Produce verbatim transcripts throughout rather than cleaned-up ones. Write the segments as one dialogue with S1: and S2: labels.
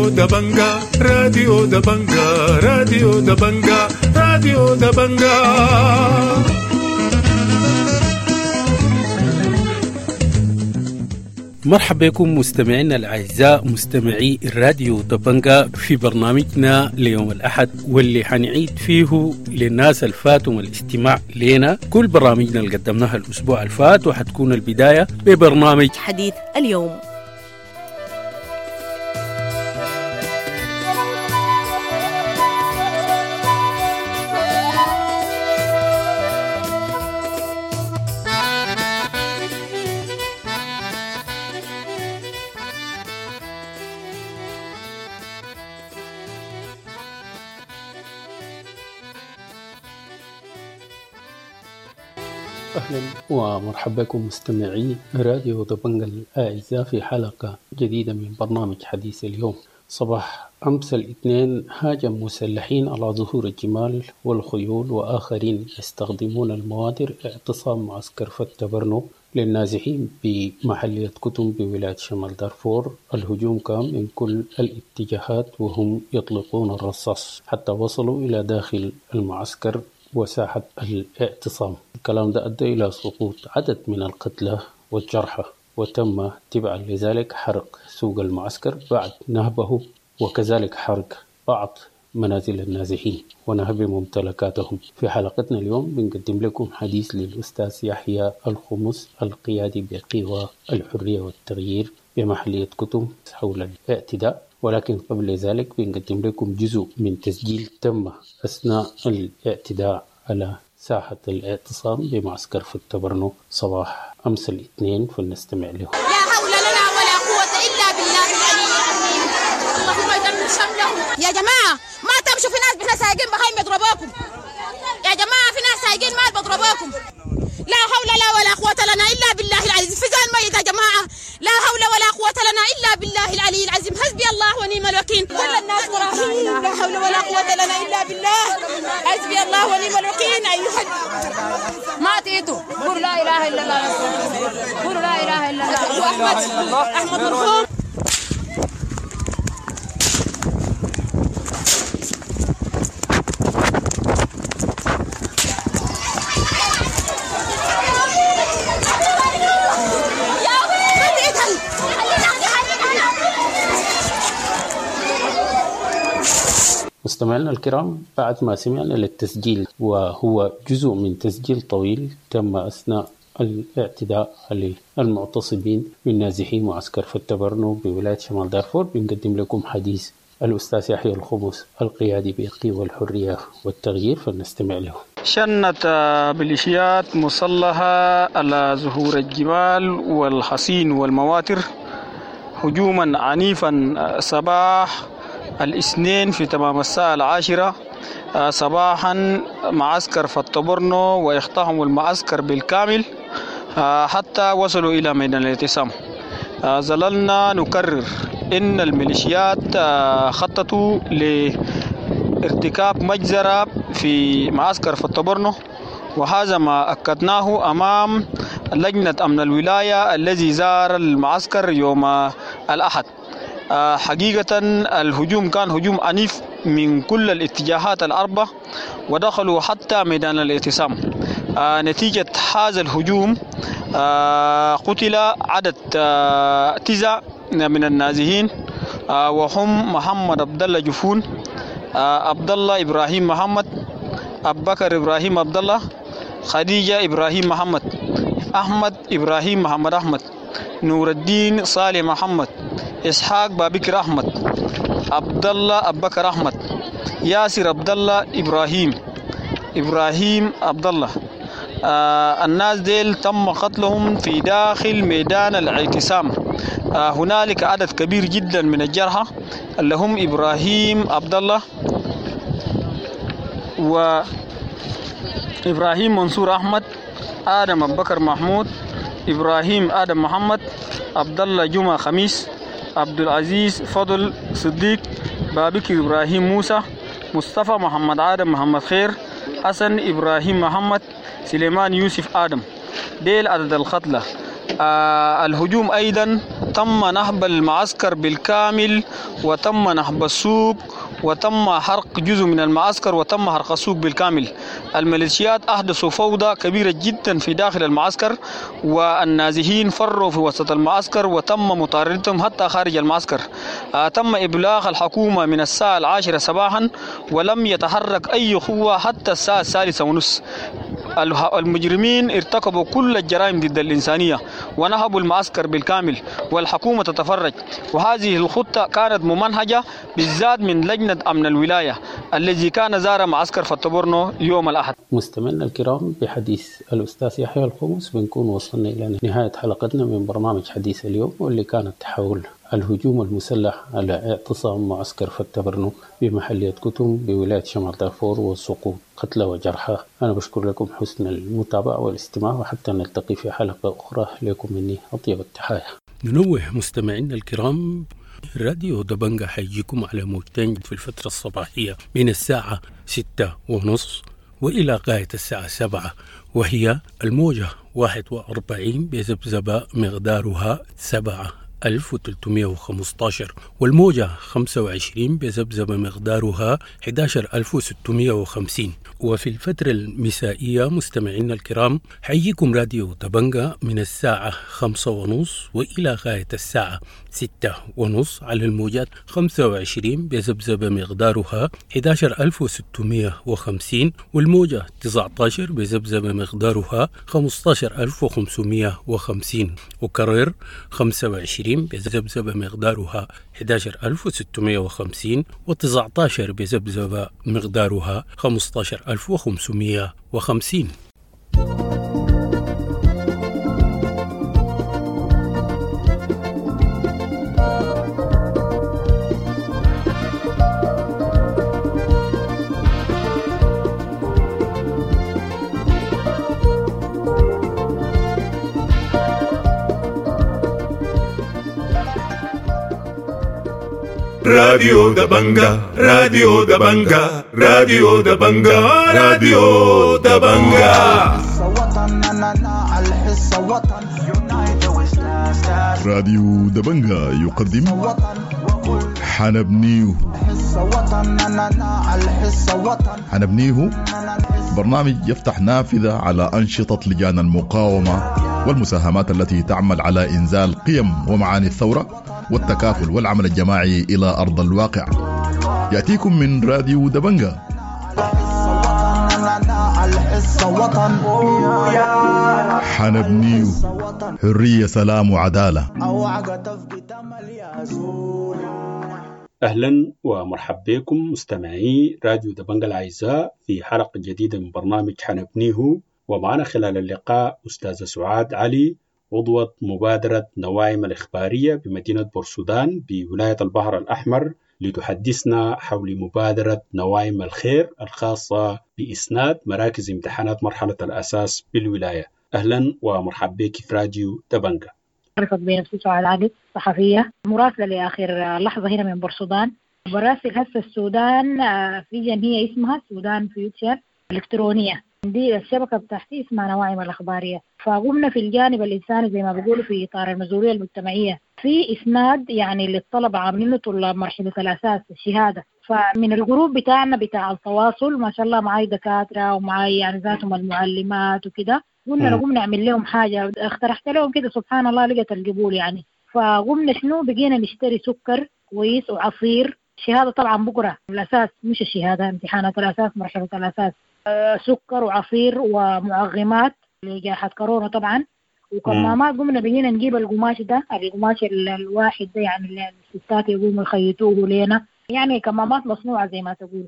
S1: راديو دبنجا راديو دبنجا راديو دبنجا راديو دبنجا.
S2: مرحبا بكم مستمعينا الأعزاء مستمعي الراديو دبنجا في برنامجنا ليوم الأحد، واللي حنعيد فيه للناس الفاتهم الاستماع لنا كل برامجنا اللي قدمناها الأسبوع الفات، وحتكون البداية ببرنامج
S3: حديث اليوم.
S2: أهلا ومرحبا بكم مستمعي راديو دبنجا الأعزاء في حلقة جديدة من برنامج حديث اليوم. صباح أمس الاثنين هاجم مسلحين على ظهور الجمال والخيول وآخرين يستخدمون المواتر اعتصام معسكر فتبرنو للنازحين بمحلية كتم بولاية شمال دارفور. الهجوم كان من كل الاتجاهات وهم يطلقون الرصاص حتى وصلوا إلى داخل المعسكر وساحة الاعتصام. الكلام ده أدى إلى سقوط عدد من القتلى والجرحى، وتم تبعا لذلك حرق سوق المعسكر بعد نهبه، وكذلك حرق بعض منازل النازحين ونهب ممتلكاتهم. في حلقتنا اليوم بنقدم لكم حديث للأستاذ يحيى الخمس القيادي بقوى الحرية والتغيير بمحلية كتم حول الاعتداء، ولكن قبل ذلك بنقدم لكم جزء من تسجيل تم أثناء الاعتداء على ساحة الاعتصام بمعسكر فتبرنو صباح أمس الاثنين، فلنستمع له.
S4: لا حول لنا ولا قوة إلا بالله العلي العظيم. اللهم دمر شملهم يا جماعة، ما تمشوا، في ناس بحنا سايقين بهايم يضربوكم يا جماعة، في ناس سايقين مال بضربوكم. لا حول لا ولا قوة لنا إلا بالله العزيز. في زول ميت يا جماعة، لا حول ولا قوة لنا إلا بالله العلي العظيم. حسبي الله ونعم الوكيل. كل الناس مراهين، لا حول ولا قوة لنا إلا بالله. حسبي الله ونعم الوكيل. أيها
S5: ما تيتوا قولوا لا إله إلا الله، قولوا لا إله إلا الله.
S4: أحمد أحمد مرحوم.
S2: مستمعينا الكرام، بعد ما سمعنا للتسجيل وهو جزء من تسجيل طويل تم أثناء الاعتداء على المعتصمين من نازحي معسكر فتبرنو بولاية شمال دارفور، بنقدم لكم حديث الأستاذ يحيى الخمس القيادي بقوى الحرية والتغيير، فلنستمع له.
S6: شنت ميليشيات مسلحة على ظهور الجبال والحصين والمواتر هجوما عنيفا صباح الاثنين في تمام الساعة العاشرة صباحا معسكر فتبرنو، واقتحموا المعسكر بالكامل حتى وصلوا إلى ميدان الاعتصام. ظللنا نكرر إن الميليشيات خططوا لارتكاب مجزرة في معسكر فتبرنو، وهذا ما أكدناه أمام لجنة أمن الولاية الذي زار المعسكر يوم الأحد. حقيقة الهجوم كان هجوم عنيف من كل الاتجاهات الأربعة، ودخلوا حتى ميدان الاعتصام. نتيجة هذا الهجوم قتل عدد تسعة من النازحين، وهم محمد عبد الله جفون، عبد الله إبراهيم محمد، أبو بكر إبراهيم عبد الله، خديجة إبراهيم محمد، أحمد إبراهيم محمد أحمد، نور الدين صالح محمد، إسحاق بابكر أحمد، عبد الله أبو بكر أحمد، ياسر عبد الله إبراهيم، إبراهيم عبد الله. آه الناس ديل تم قتلهم في داخل ميدان الاعتصام. آه هنالك عدد كبير جدا من الجرحى اللي هم إبراهيم عبد الله وإبراهيم منصور أحمد، آدم أبو بكر محمود، إبراهيم آدم محمد، عبد الله جمعة خميس، عبد العزيز فضل صديق، بابكر إبراهيم موسى، مصطفى محمد آدم محمد خير، حسن إبراهيم محمد، سليمان يوسف آدم. ديل عدد القتلى. آه الهجوم أيضا تم نهب المعسكر بالكامل، وتم نهب السوق، وتم حرق جزء من المعسكر، وتم حرق السوق بالكامل. الميليشيات أحدثوا فوضى كبيرة جدا في داخل المعسكر، والنازحين فروا في وسط المعسكر وتم مطاردتهم حتى خارج المعسكر. آه تم إبلاغ الحكومة من الساعة العاشرة صباحا ولم يتحرك أي قوة حتى الساعة الثالثة ونصف. المجرمين ارتكبوا كل الجرائم ضد الإنسانية ونهبوا المعسكر بالكامل والحكومة تتفرج. وهذه الخطة كانت ممنهجة بالذات من لجنة أمن الولاية الذي كان زار معسكر فتبورنو يوم الأحد.
S2: مستمعينا الكرام، بحديث الأستاذ يحيى الخمس بنكون وصلنا إلى نهاية حلقتنا من برنامج حديث اليوم، واللي كانت حول الهجوم المسلح على اعتصام معسكر فتبرنو بمحلية كتم بولاية شمال دارفور وسقوط قتلى وجرحى. أنا بشكر لكم حسن المتابعة والاستماع، وحتى نلتقي في حلقة أخرى لكم مني أطيب التحايا. ننوه مستمعينا الكرام، راديو دبنجة حيجيكم على موجتين في الفترة الصباحية من الساعة ستة ونص وإلى غاية الساعة سبعة، وهي الموجة واحد وأربعين بذبذبة مقدارها سبعة ألف وثلاثمائة وخمسة عشر، والموجة خمسة وعشرين بذبذبة مقدارها أحد عشر ألف وستمائة وخمسين. وفي الفترة المسائية مستمعينا الكرام حييكم راديو دبنجة من الساعة خمسة ونص وإلى غاية الساعة ستة ونص على الموجات خمسة وعشرين بذبذبة مقدارها أحد عشر ألف وستمائة وخمسين، والموجة تسعة عشر بذبذبة مقدارها خمسة عشر ألف وخمسمائة وخمسين، وكرر خمسة وعشرين بذبذبة مقدارها أحد عشر ألف وستمائة وخمسين وتسعة عشر بذبذبة مقدارها خمسة عشر ألف وخمسمائة وخمسين.
S1: راديو دبنجة، راديو دبنجة، راديو دبنجة، راديو دبنجة.
S3: راديو دبنجة يقدم حنبنيه. حنبنيه برنامج يفتح نافذة على أنشطة لجان المقاومة والمساهمات التي تعمل على إنزال قيم ومعاني الثورة والتكافل والعمل الجماعي إلى أرض الواقع. يأتيكم من راديو دبنجة. حنبنيه حرية، سلام وعدالة.
S2: أهلا ومرحبا بكم مستمعي راديو دبنجة الأعزاء في حلقة جديدة من برنامج حنبنيه، ومعنا خلال اللقاء أستاذة سعاد علي، عضوة مبادرة نواعم الإخبارية بمدينة بورسودان بولاية البحر الأحمر، لتحدثنا حول مبادرة نواعم الخير الخاصة بإسناد مراكز امتحانات مرحلة الأساس بالولاية. أهلا ومرحبا بك في راديو دبنجة.
S7: أعرفك بنفسي سعاد علي، صحفية مراسلة لآخر لحظة هنا من بورسودان. براسل هسه السودان في جمعية اسمها سودان فيوتشر الإلكترونية، دي الشبكة بتاعتي اسمها نواعم الأخبارية. فقمنا في الجانب الإنساني زي ما بيقولوا في إطار المسؤولية المجتمعية في إسناد يعني للطلبة، عاملينه طلاب مرحلة الأساس الشهادة. فمن ال group بتاعنا بتاع التواصل ما شاء الله معاي دكاترة ومعاي يعني ذاتهم المعلمات وكده، قلنا نقوم نعمل لهم حاجة، اقترحت لهم كده سبحان الله لقت القبول يعني. فقمنا شنو بقينا نشتري سكر كويس وعصير، شهادة طبعا بكرة الأساس مش الشهادة، امتحانات الأساس مرحلة الأساس، سكر وعصير ومعغمات لجائحة كورونا طبعا وكمامات. قمنا بقينا نجيب القماش ده، القماش الواحد ده يعني الستات يقوموا يخيطوه لنا، يعني كمامات مصنوعة زي ما تقول.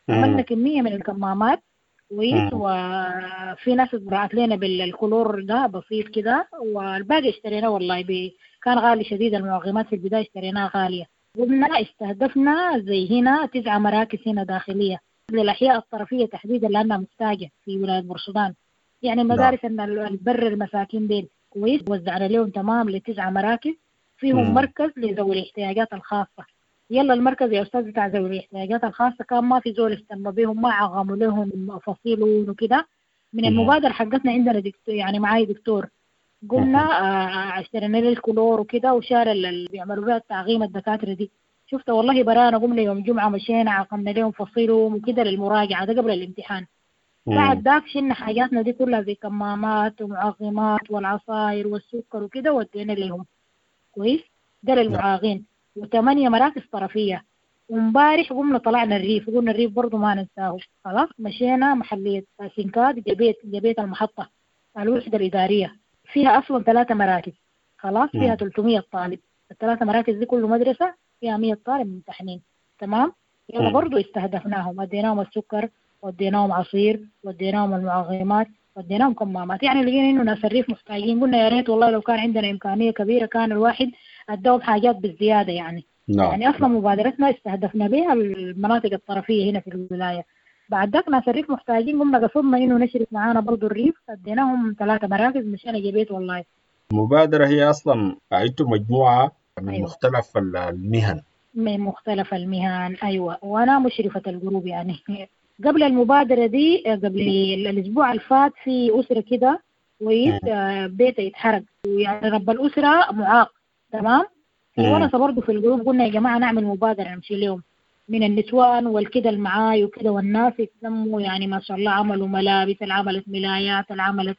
S7: عملنا كمية من الكمامات كويس، وفي ناس اتبرعت لنا بالكلور ده بسيط كده، والباقي اشتريناه والله بي كان غالي شديد. المعغمات في البداية اشتريناها غالية. قمنا استهدفنا زي هنا تسعة مراكز هنا داخلية للأحياء الطرفية تحديدا لأنها محتاجة في ولاية بورسودان، يعني مدارس أن البر المساكين ديل كويس وزعنا لهم تمام لتسعة مراكز، فيهم مم. مركز لذوي الاحتياجات الخاصة. يلا المركز يا أستاذ بتاع ذوي الاحتياجات الخاصة كان ما في زول اهتم بهم، ما عغموا لهم فصيلون وكده. من المبادرة حقتنا عندنا دكتور، يعني معاي دكتور قمنا آه اشترينا له الكلور وكده وشال اللي بيعملوا بها التعقيم الدكاترة دي. شفت والله برانا قمنا يوم جمعة مشينا عقمنا لهم فصيلهم وكده للمراجعة ده قبل الامتحان. بعد ذاك شلنا حاجاتنا دي كلها زي كمامات ومعقمات والعصاير والسكر وكده ودينا لهم. كويس، ده للمعاقين. وثمانية مراكز طرفية. ومبارح قمنا طلعنا الريف، قلنا الريف برضو ما ننساه. خلاص مشينا محلية سنكات جبيت جبيت المحطة الوحدة الإدارية فيها أصلا ثلاثة مراكز. خلاص فيها ثلاثمية طالب، الثلاثة مراكز دي كل مدرسة فيها مية طالب ممتحنين. تمام، يلا برضو استهدفناهم، اديناهم السكر وديناهم عصير وديناهم المعقمات وديناهم كمامات. يعني لقينا انه ناس الريف محتاجين، قلنا يا ريت والله لو كان عندنا امكانيه كبيره كان الواحد اداهم حاجات بالزياده يعني. نعم. يعني اصلا مبادرتنا استهدفنا بها المناطق الطرفيه هنا في الولايه. بعد ذاك ناس الريف محتاجين، قمنا قصدنا انه نشرك معانا برضو الريف، اديناهم ثلاثه مراكز مشينا جبيت. والله
S8: المبادره هي اصلا انتم مجموعه من أيوة. مختلف المهن،
S7: من مختلف المهن. أيوة، وأنا مشرفة الجروب يعني. قبل المبادرة دي قبل الأسبوع الفات في أسرة كده كويس بيته يتحرق، ويعني رب الأسرة معاق. تمام، وأنا برضه في الجروب قلنا يا جماعة نعمل مبادرة نمشي لهم من النسوان والكده المعاي وكده، والناس يتلموا يعني ما شاء الله، عملوا ملابس، عملت ملايات، عملت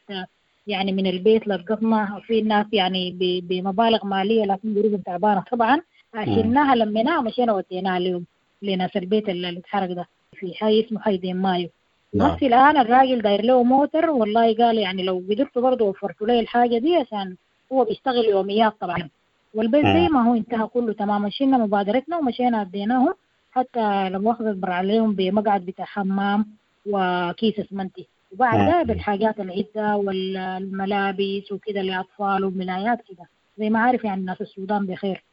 S7: يعني من البيت للقطمة. في الناس يعني بمبالغ مالية لكن جروبهم تعبانة طبعا. شلناها لميناها ومشينا وديناها لهم لناس البيت اللي اتحرق ده في حي اسمه حي دين مايو. بس الآن الراجل داير له موتر، والله قال يعني لو قدرت برضه وفرت له الحاجة دي عشان هو بيشتغل يوميات طبعا. والبيت زي ما هو انتهى كله تماما. شلنا مبادرتنا ومشينا اديناهم، حتى لما أخذت برع عليهم بمقعد بتاع حمام وكيس اسمنتي، وبعد ده بالحاجات العدة والملابس وكده لأطفال وملايات كده زي ما عارف يعني الناس السودان بخير.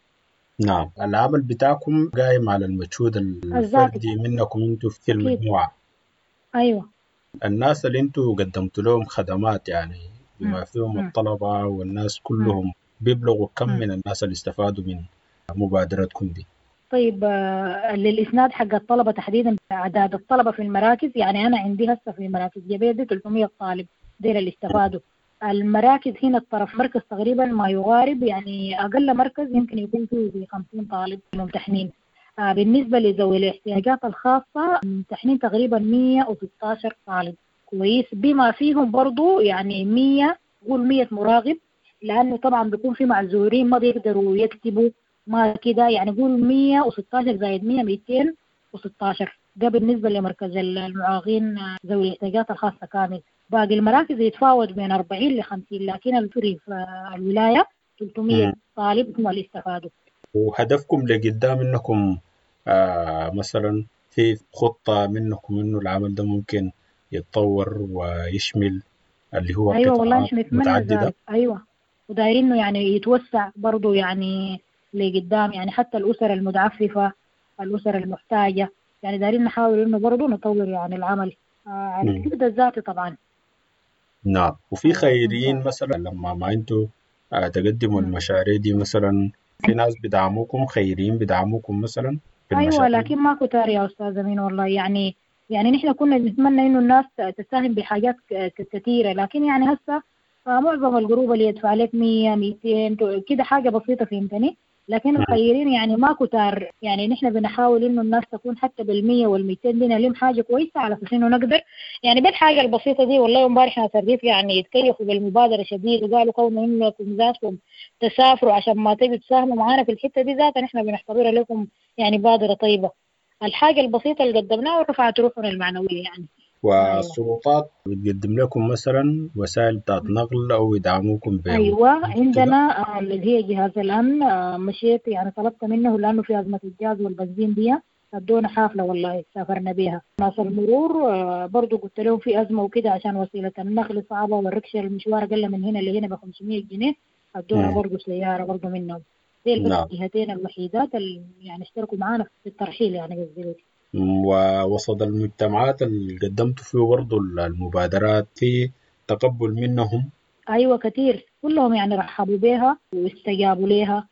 S8: نعم، العمل بتاعكم قايم على المجهود الفردي منكم انتوا في المجموعة.
S7: أيوة،
S8: الناس اللي انتوا قدمتوا لهم خدمات يعني بما فيهم الطلبة والناس كلهم بيبلغوا كم من الناس اللي استفادوا من مبادرتكم دي؟
S7: طيب للإسناد حق الطلبة تحديدا أعداد الطلبة في المراكز، يعني أنا عندي هسه في مراكز جبيت دي ثلاثمية طالب ديل اللي استفادوا. المراكز هنا الطرف مركز تقريبا ما يقارب يعني أقل مركز يمكن يكون فيه خمسين طالب ممتحنين. آه بالنسبة لذوي الاحتياجات الخاصة ممتحنين تقريبا مية وستاشر طالب. كويس، بما فيهم برضو يعني مية قول مية مراقب، لأنه طبعا بيكون في معذورين ما بيقدروا يكتبوا ما كده، يعني قول مية وستاشر زائد مية ميتين وستاشر. ده بالنسبة لمركز المعاقين ذوي الاحتياجات الخاصة كامل. باقي المراكز يتفاوت بين أربعين لخمسين، لكن الفري في الولاية ثلاثمية طالب هم اللي استفادوا.
S8: وهدفكم لقدام إنكم آه مثلا في خطة منكم إنه العمل ده ممكن يتطور ويشمل اللي هو
S7: أيوة والله نحن نتمنى ذلك. أيوة، ودايرين إنه يعني يتوسع برضو يعني لقدام، يعني حتى الأسر المتعففة، الأسر المحتاجة، يعني دايرين نحاول إنه برضو نطور يعني العمل آه على الجهد الذاتي طبعا.
S8: نعم، وفي خيريين مثلا لما ما انتوا تقدموا المشاريع دي مثلا في ناس بدعموكم، خيريين بدعموكم مثلا
S7: في المشاريع؟ ايوه، لكن ما كتار يا استاذ امين والله. يعني يعني نحن كنا نتمنى انه الناس تساهم بحاجات كثيره، لكن يعني هسه معظم الجروب اللي يدفع لك مية ميتين كده حاجه بسيطه، فهمتني؟ لكن الخيرين يعني ما كتار. يعني نحن بنحاول انه الناس تكون حتى بالمية والميتين دي نلم حاجة كويسة على اساس انه نقدر يعني بالحاجة البسيطة دي. والله امبارح ناس الريف يعني يتكيفوا بالمبادرة شديد، وقالوا كونوا انكم ذاتكم تسافروا عشان ما تيجوا تساهموا معانا في الحتة دي ذاتها نحن بنعتبرها لكم يعني بادرة طيبة. الحاجة البسيطة اللي قدمناها ورفعت روحنا المعنوية يعني.
S8: والسلطات بتقدم لكم مثلا وسائل بتاعت نقل او يدعموكم بها؟
S7: ايوه، عندنا اللي هي جهاز الامن، مشيت يعني طلبت منه لانه في ازمه الجاز والبنزين دي، ادونا حافله والله سافرنا بيها. ناس المرور برضو قلت لهم في ازمه وكده عشان وسيله النقل صعبه والركشه المشوار اقل من هنا لهنا ب خمسمية جنيه، ادونا برضو سياره برضو منهم. دي بس الجهتين الوحيدات اللي يعني اشتركوا معانا في الترحيل يعني قصدي.
S8: ووسط المجتمعات اللي قدمتوا فيه برضو المبادرات في تقبل منهم؟
S7: أيوة كثير، كلهم يعني رحبوا بها واستجابوا لها.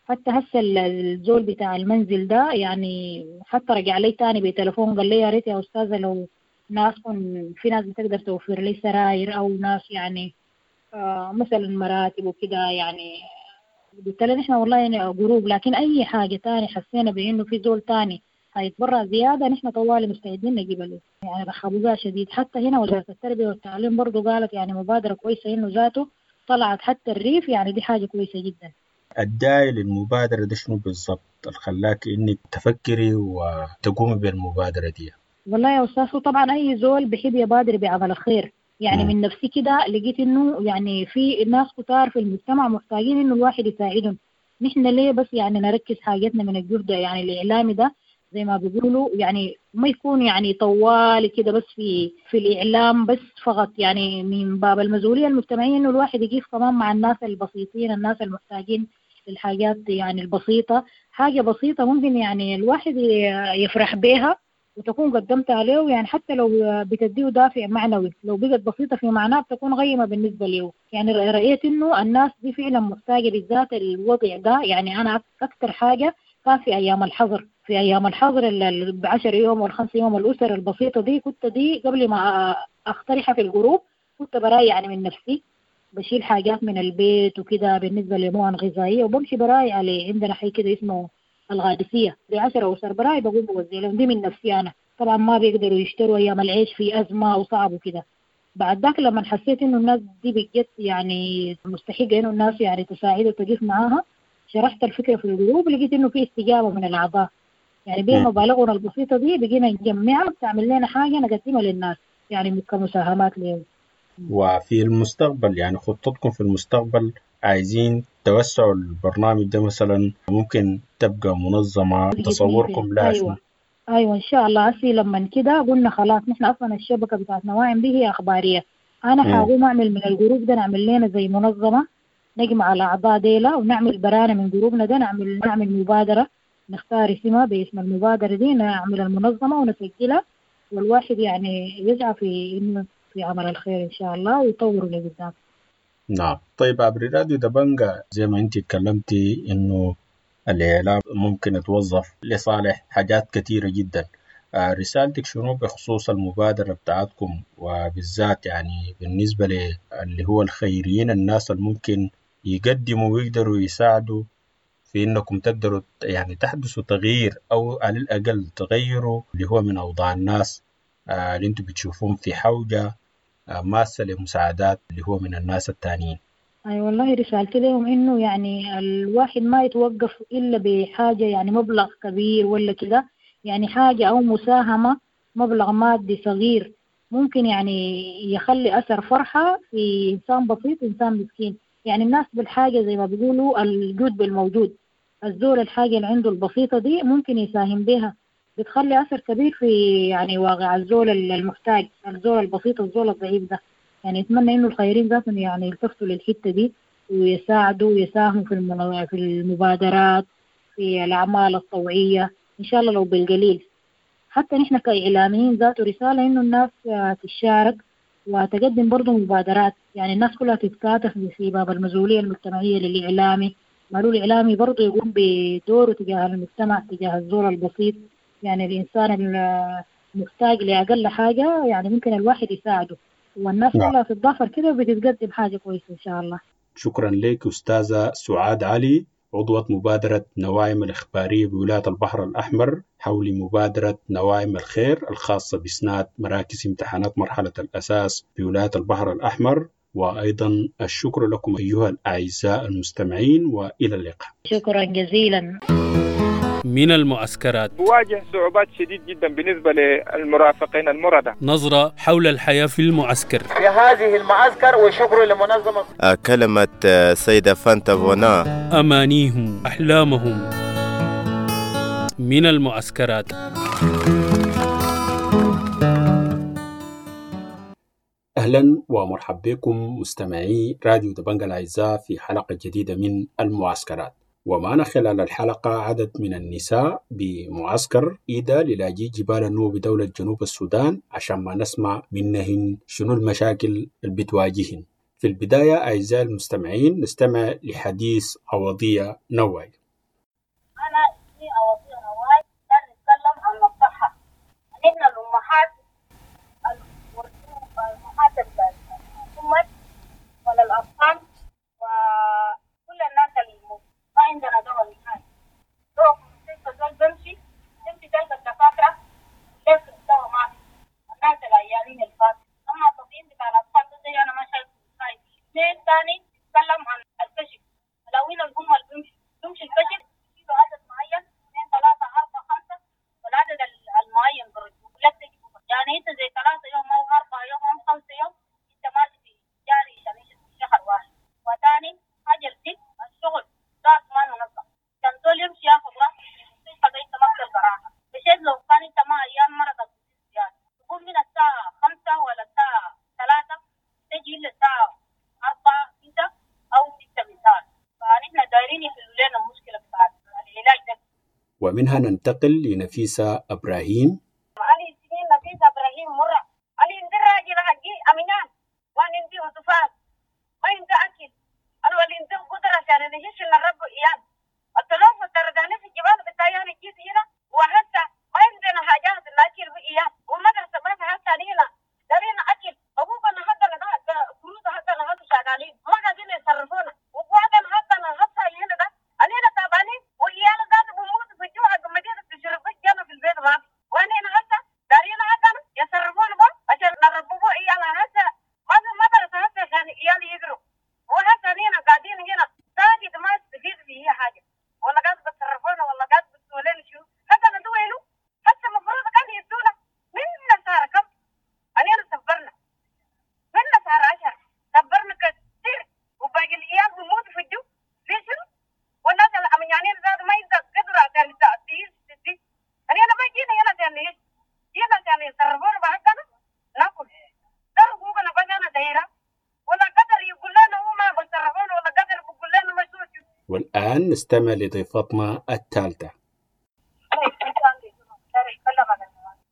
S7: حتى هسه الزول بتاع المنزل ده يعني حتى رجع لي تاني بتليفون قال لي يا ريت يا أستاذة لو ناس في ناس بتقدر توفر لي سراير أو ناس يعني آه مثلا مراتب وكده. يعني قلت لها نحن والله يعني group، لكن أي حاجة تاني حسينا بإنه في زول تاني هيتبرع زيادة نحن طوالي مستعدين نجيب له. يعني رحبوا بها شديد. حتى هنا وزارة التربية والتعليم برضو قالت يعني مبادرة كويسة إنه ذاته طلعت حتى الريف، يعني دي حاجة كويسة جدا.
S8: الداعي للمبادرة ده شنو بالضبط اللي خلاك إنك تفكري وتقومي بالمبادرة دي؟
S7: والله يا أستاذ طبعا أي زول بحب يبادر بعمل الخير. يعني م. من نفسي كده لقيت إنه يعني في ناس كتار في المجتمع محتاجين إنه الواحد يساعدهم. نحن ليه بس يعني نركز حاجتنا من الجهد يعني الإعلامي ده زي ما بيقولوا، يعني ما يكون يعني طوال كده بس في في الإعلام بس فقط، يعني من باب المسؤولية المجتمعية إنه الواحد يقف كمان مع الناس البسيطين، الناس المحتاجين للحاجات يعني البسيطة. حاجة بسيطة ممكن يعني الواحد يفرح بيها وتكون قدمتها له، يعني حتى لو بتديه دافع معنوي، لو بقت بسيطة في معناها بتكون قيمة بالنسبة له. يعني رأيت إنه الناس دي فعلا محتاجة بالذات الوضع ده. يعني أنا أكثر حاجة كان في أيام الحظر، في أيام الحظر العشر يوم والخمس يوم الأسر البسيطة دي كنت دي قبل ما أقترحها في ال group كنت براي يعني من نفسي بشيل حاجات من البيت وكده بالنسبة لمؤن غذائية وبمشي براي على عندنا حي كده اسمه الغادسية دي عشرة أسر براي بقوم بوزع لهم دي من نفسي أنا. طبعا ما بيقدروا يشتروا أيام العيش في أزمة وصعب وكده. بعد ذاك لما حسيت إنه الناس دي بجد يعني مستحقة إنه الناس يعني تساعد وتقف معاها، شرحت الفكرة في ال group، لقيت إنه في استجابة من الأعضاء. يعني بين مبالغنا البسيطة دي بقينا نجمعها بتعمل لنا حاجة نقدمها للناس يعني كمساهمات لهم.
S8: وفي المستقبل يعني خطتكم في المستقبل عايزين توسعوا البرنامج ده مثلا، ممكن تبقى منظمة، تصوركم لها؟
S7: أيوة. أيوة إن شاء الله. هسي لما كده قلنا خلاص نحن أصلا الشبكة بتاعت نواعم دي هي أخبارية. أنا حاقوم أعمل من ال group ده نعمل لنا زي منظمة، نجمع الأعضاء ديلا ونعمل برانا من جروبنا ده، نعمل نعمل مبادرة، نختار اسمها باسم المبادرة دي، نعمل المنظمة ونسجلها، والواحد يعني يسعى في إنه في عمل الخير إن شاء الله ويطوره لقدام.
S8: نعم. طيب عبر راديو دبنجة زي ما أنت تكلمتي إنه الإعلام ممكن يتوظف لصالح حاجات كثيرة جدا، رسالتك شنو بخصوص المبادرة بتاعتكم، وبالذات يعني بالنسبة اللي هو الخيريين، الناس اللي ممكن يقدموا ويقدروا يساعدوا في إنكم تقدروا يعني تحدثوا تغيير أو على الأقل تغيروا اللي هو من أوضاع الناس اللي أنتم بتشوفون في حوجة ماسة لمساعدات اللي هو من الناس التانيين؟
S7: أي والله رسالتي لهم إنه يعني الواحد ما يتوقف إلا بحاجة يعني مبلغ كبير ولا كده، يعني حاجة أو مساهمة مبلغ مادي صغير ممكن يعني يخلي أثر فرحة في إنسان بسيط، إنسان مسكين. يعني الناس بالحاجة زي ما بيقولوا الجود بالموجود، الزول الحاجة اللي عنده البسيطة دي ممكن يساهم بها، بتخلي أثر كبير في يعني واقع الزول المحتاج، الزول البسيط، الزول الضعيف ده. يعني أتمنى إنه الخيرين ذاتهم يعني يلتفتوا للحتة دي ويساعدوا ويساهموا في في المبادرات، في الأعمال الطوعية إن شاء الله لو بالقليل. حتى نحن كإعلاميين ذاته رسالة إنه الناس تشارك وتقدم برضو مبادرات، يعني الناس كلها تتكاتف في باب المسؤولية المجتمعية للإعلامي. مالو الإعلامي برضو يقوم بدوره تجاه المجتمع، تجاه الزول البسيط، يعني الإنسان المحتاج لأقل حاجة يعني ممكن الواحد يساعده، والناس كلها تتضافر كده وبتتقدم حاجة كويسة إن شاء الله.
S8: شكرا لك أستاذة سعاد علي، عضوة مبادرة نواعم الإخبارية بولاية البحر الأحمر، حول مبادرة نواعم الخير الخاصة بإسناد مراكز امتحانات مرحلة الأساس بولاية البحر الأحمر. وأيضا الشكر لكم أيها الأعزاء المستمعين، وإلى اللقاء.
S7: شكرا جزيلا.
S2: من المعسكرات
S9: بواجه صعوبات شديد جدا بالنسبة للمرافقين المرضى.
S2: نظرة حول الحياة في المعسكر
S10: في هذه المعسكر، وشكر لمنظمة
S11: كلمة سيدة فانتا فونا.
S2: أمانيهم، أحلامهم. من المعسكرات.
S8: أهلا ومرحبا بكم مستمعي راديو دبنجة الأعزاء في حلقة جديدة من المعسكرات. ومعنا خلال الحلقة عدد من النساء بمعسكر إيدا للاجئ جبال النوبة بدولة جنوب السودان، عشان ما نسمع منهن شنو المشاكل اللي بتواجهن. في البداية أعزائي المستمعين نستمع لحديث عوضية نواي.
S12: أنا اسمي عوضية نواي، نتكلم عن الصحة. نحن الأمهات الأمهات الأمهات ولا الأطفال وكل الناس اللي ما عندنا دواء نهائي. دواء في المستشفى زول بمشي تمشي تلقى الدكاترة ليك الدواء ما في، الناس العيانين الفات. أما التطعيم بتاع الأطفال ده زي أنا ما شايفه نهائي. اثنين تاني نتكلم عن الكشف، الأوين اللي هم اللي بيمشوا بيمشي الكشف يشيلوا عدد معين اثنين ثلاثة أربعة خمسة، والعدد المعين برجعوا لك تجي بكرة. يعني أنت زي ثلاثة يوم أو أربعة يوم أو خمسة يوم أنت ماشي في جاري عشان في شهر واحد. وتاني حاجة الست الشغل ذات ما منظم، كان زول يمشي ياخذ راحته في المستشفى ده أنت ما بتلقى راحة. مشيت لو كان أنت ما أيام مرضك زيادة تقوم من الساعة خمسة ولا الساعة ثلاثة تجي إلا الساعة أربعة كده أو ستة مثال. فنحن دايرين يحلوا لنا المشكلة بتاعت العلاج ده.
S8: ومنها ننتقل لنفيسة إبراهيم.
S12: أنا اسمي نفيسة إبراهيم مرة. أنا عندي راجل حقي أمينان، وأنا عندي أطفال، ما عندي أكل، أنا ولا عندي قدرة عشان نهش نربي إياه. التلوث ترداني في الجبال بتاعي أنا جيت هنا وهسه ما عندنا حاجات ناكل بإياه، ومدرسة ما في هسه هنا دارين أكل. أبونا حقنا ده قروض حقنا هذا شغالين ما قاعدين يصرفونا، وقعدنا حقنا هسه هنا ده أنا هنا تعبانين، وإيانا ذات بموت في الجوع المدينة تشرب جانا في البيت ما في. وأنا هنا هسه دارين حقنا يصرفونا بقى عشان نربوا إيانا هسه ما في مدرسة هسه عشان إيالي يقروا. وهسه هنا قاعدين هنا ساكت ما استفيد في هي حاجة، ولا قاعد بتصرفونا ولا قاعد بتسووا لنا شو. حتى ندوينه حتى المفروض كان يدونا من شهر كم أنا سفرنا من شهر عشرة سفرنا كثير، وباقي الأيام بموت في الجو في شنو. والناس الأمنيانين زاد ما يقدر قدرة عشان تعيش تدي. أنا أنا ما جينا هنا عشان نعيش، جينا عشان يصرفونا بحقنا ناكل. ده حقوقنا بس أنا دايرة، ولا قدر يقول لنا هو ما بيصرفونا، ولا قدر بيقول لنا ما شو.
S8: والآن نستمع لضيفتنا الثالثة.
S12: أنا أتكلم عن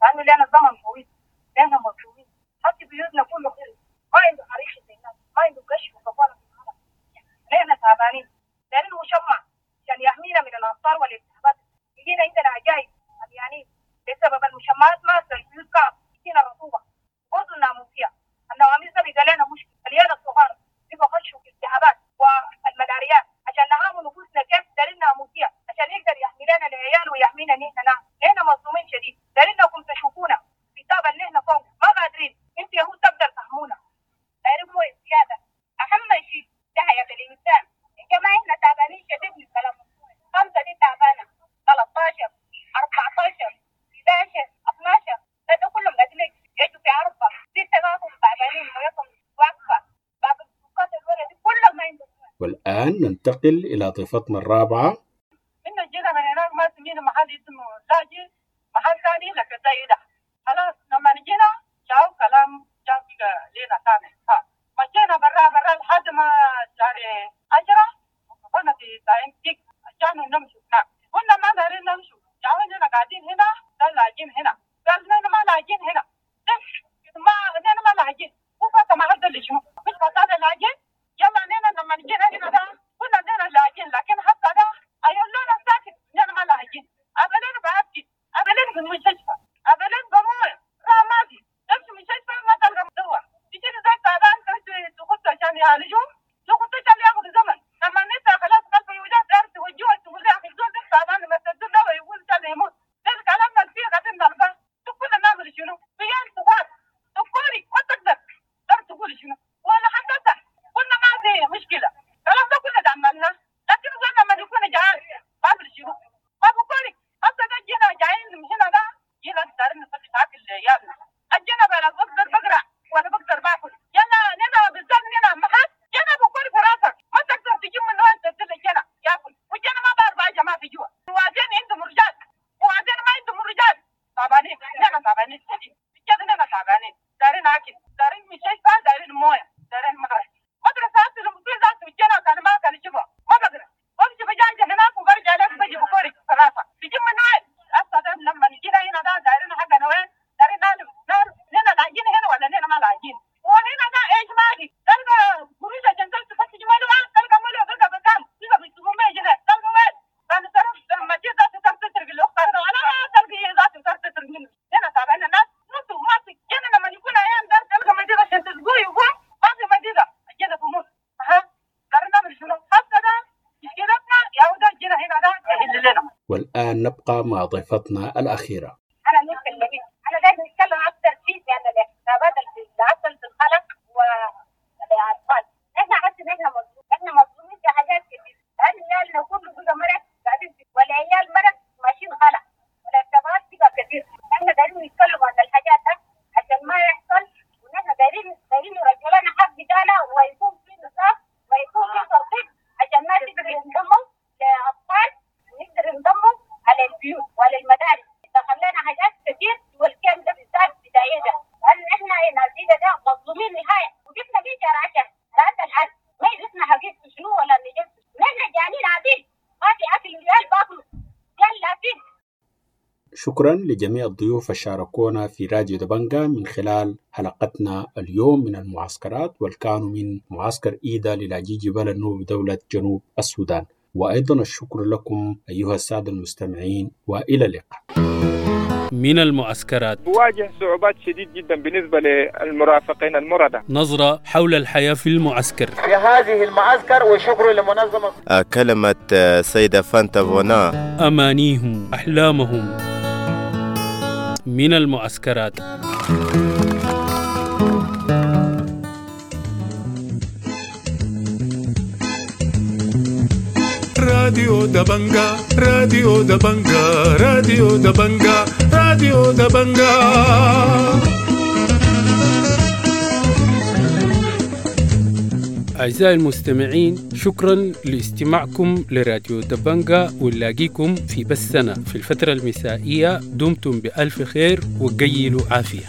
S12: لأنه لنا زمن طويل لنا مظلومين، حتى بيوتنا كله خير، ما عنده حريق زي الناس، ما عنده كشف وكفالة في العالم. نحن تعبانين دايرين مشمع عشان يحمينا من الأمطار والالتهابات. يجينا عندنا عجائب يعني بسبب المشمعات ما البيوت كعب، يجينا رطوبة برضه الناموسية، النواميس ده بيبقى لنا مشكلة. العيال الصغار بيبقى خشوا في الالتهابات والملاريات عشان نعامل نفوسنا كيف. دايرين ناموسية عشان يقدر يحمي لنا العيال ويحمينا نحن. نحن مظلومين شديد، دايرينكم تشوفونا في الطابة اللي احنا فوق ما قادرين، انت يهود تقدر تحمونا. دايرين مويه زيادة، أهم شيء ده حياة الإنسان. يا جماعة احنا تعبانين شديد من كلام خمسة دي تعبانة، ثلاثة عشر أربعة عشر إحدى عشر اثنا عشر ده, ده كلهم قاعدين يجوا في أربعة ستة ذاتهم تعبانين مويتهم واقفة، بعد السكات الورا دي كلهم ما عندهم.
S8: والآن ننتقل إلى ضيفتنا الرابعة.
S13: إنه جينا من هناك ما سمينا محل اسمه لاجي محل ثاني لك زي ده. خلاص لما نجينا جاو كلام جاو بقى لينا ثاني، مشينا برا برا لحد ما شهر عشرة وقفنا في تايم تيك عشان نمشي هناك. كنا ما دارين نمشي، جاو إننا قاعدين هنا ده لاجين هنا، قال لنا ما لاجين هنا، ما إننا ما لاجين، وفات ما حد اللي شنو مش فات لاجين. يلا إننا لما نجينا هنا ده كنا إننا لاجين، لكن حتى ده أيوة لنا ساكت إننا ما لاجين. أبلنا بأبكي، أبلنا في المستشفى، أبلنا
S8: والآن نبقى مع ضيفتنا الأخيرة.
S12: أنا نور كلمين، أنا دايما نتكلم أكثر شيء عن الاحتسابات اللي حصل في الخلق والأطفال. إحنا حاسين إحنا مظلومين، إحنا مظلومين في حاجات كتير، لأن عيالنا كله بقى مرض قاعدين، والعيال مرض ماشيين خلق، والاحتسابات بقى كتير. إحنا دايرين نتكلم عن الحاجات ده عشان ما يحصل، ونحن دايرين دايرين يرجعوا لنا حق بتاعنا، ويكون في نصاب ويكون في ترتيب عشان ما تقدر ينضموا لأطفال ونقدر ينضموا على البيوت وعلى المدارس. دخلنا حاجات كتير، والكلام ده بالذات بداية ده، لأن إحنا نازلين ده مظلومين نهاية، وجبنا فيه شهر عشر لحد الآن ما عرفنا حقيقة شنو ولا نجد، نحن جعانين عديل، ما في أكل، ريال باكله ريال لافين.
S8: شكرا لجميع الضيوف شاركونا في راديو دبنجا من خلال حلقتنا اليوم من المعسكرات، والكانوا من معسكر إيدا للاجئي جبال النوبة بدولة جنوب السودان. وأيضا الشكر لكم أيها السادة المستمعين، وإلى اللقاء.
S2: من المعسكرات
S9: بواجه صعوبات شديد جدا بالنسبة للمرافقين المرضى.
S2: نظرة حول الحياة في المعسكر
S10: في هذه المعسكر، وشكر لمنظمة
S11: كلمة سيدة فانتا فونا،
S2: أمانيهم، أحلامهم. من المعسكرات.
S1: راديو دبنجا، راديو دبنجا، راديو دبنجا، راديو دبنجا.
S2: أعزائي المستمعين، شكرا لاستماعكم لراديو دبنجا، ونلاقيكم في بثنا في الفترة المسائية. دمتم بألف خير وقيلوا عافية.